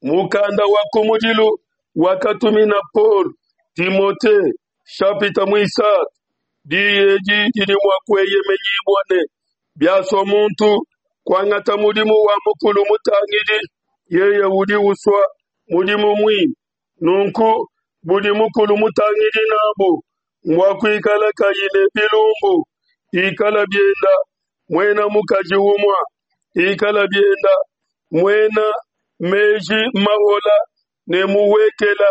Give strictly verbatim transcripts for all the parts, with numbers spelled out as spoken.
Mukanda wa kumudilu wakatumina Paulo Timote, nshapita muisatu. Diyi edi didi mua kueyemenyibua ne, biasua muntu kuangata mudimu wa mukulu mutangidi, yeye udi usua mudimu muimpe. Nunku budi mukulu mutangidi nabu mbua kuikala kayi ne bilumbu, ikala bienda muena mukaji umue, ikala bienda muena meji mahola ne muhuekela,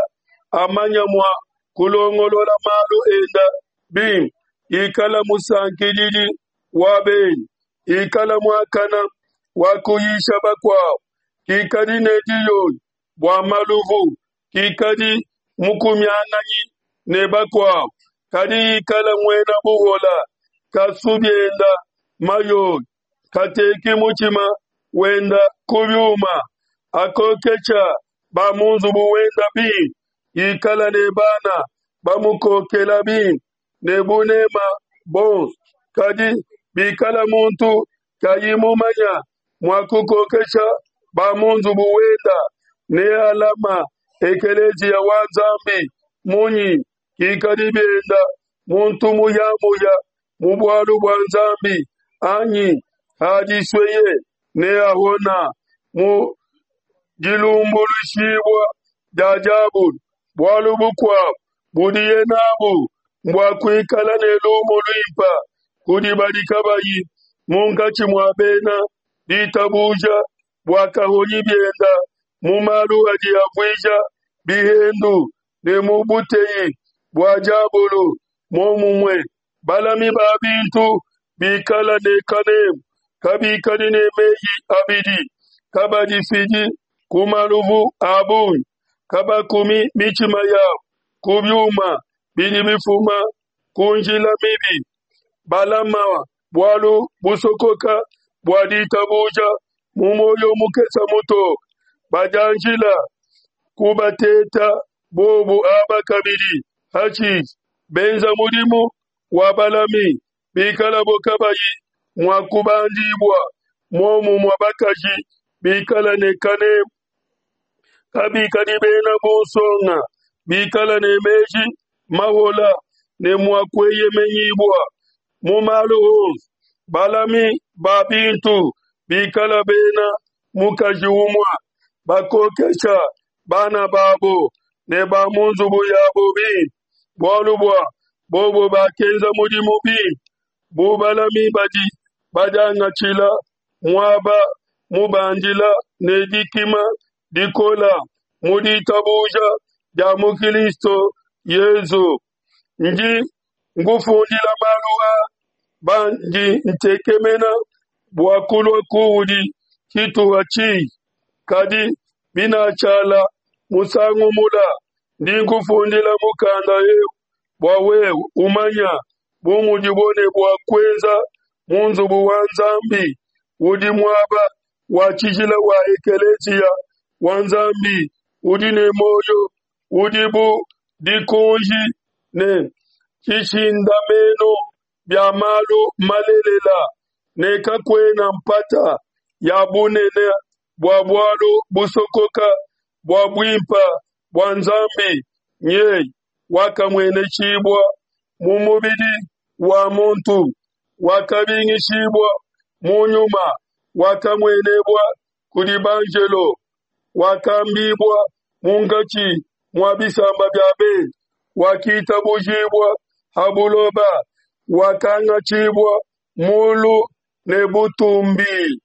amanya mua kulongolola malu enda bimpe, ikala musankididi wa benyi, ikala muakana wa kuyisha bakuabo, kikadi ne diyoyo bua maluvu, kikadi mukumianganyi ne bakuabo, kadi ikala muena buhola, kasu bienda mayoyo, kateki mutshima wenda ku biuma, akokesha ba mu nzubu wenda bimpe, ikala ne bana bamukokela bimpe ne bunema bonso. Kadi bikala muntu kayi mumanya mua kukokesha ba mu nzubu wenda, nealama ekeleziya wa Nzambi munyi? Kikadi bienda muntu muyamuya mu bualu bua Nzambi, anyi hadisueye neahona mu dilumbuluishibua dia diabolo. Bualu bukuabo budiye nabu mbua kuikala ne lumu luimpe kudi badi kabayi munkatshi mua bena ditabuja, bua kahonyi bienda mu malu adi avuija bihendu ne mu buteyi bua diabolo. Muomumue, balami ba bintu bikala ne kanemu, kabikadi ne meyi abidi, kabadifidi ku maluvu a bungi, kabakumi mitshima yabo ku biuma bidi bifuma ku njila mibi, balama bualu busokoka bua ditabuja mu muoyo mukese mutoke, badianjila kubateta bobu aba kabidi, hashishe benza mudimu wa balami, bikalabo kabayi mua kubandibua. Muomumue bakaji bikala ne kanemu, kabikadi bena bunsonga, bikala ne meji mahola ne mua kueyemenyibua mu malu onso. Balami ba bintu bikala bena mukaji umue, bakokesha bana babo ne ba mu nzubu yabo bimpe, bualu bua bobo bakenza mudimu bimpe bu balami badi badiangatshila muaba mubandila ne dikima dikola mu ditabuja dia mu Kilisto Yezu. Ndi nkufundila malu aa pandi ntekemena bua kulua kuudi tshituha tshihi, kadi binatshiala musangu mula, ndi nkufundila mukanda eu bua wewe umanya bu mudibo ne bua kuenza mu nzubu wa Nzambi, udi muaba wa tshijila wa ekeleziya wa Nzambi udi ne muoyo, udi bu dikunji ne tshishindamenu bia malu malelela, ne kakuena mpata ya bunene bua bualu busokoka bua buimpe bua Nzambi, nyeye wakamueneshibua mu mubidi wa muntu, wakabingishibua mu nyuma, wakamuenebua kudi banjelo, wakambibua munkatshi mua bisamba bia bende, wakitabujibua ha buloba, wakangatshibua mulu ne butumbi.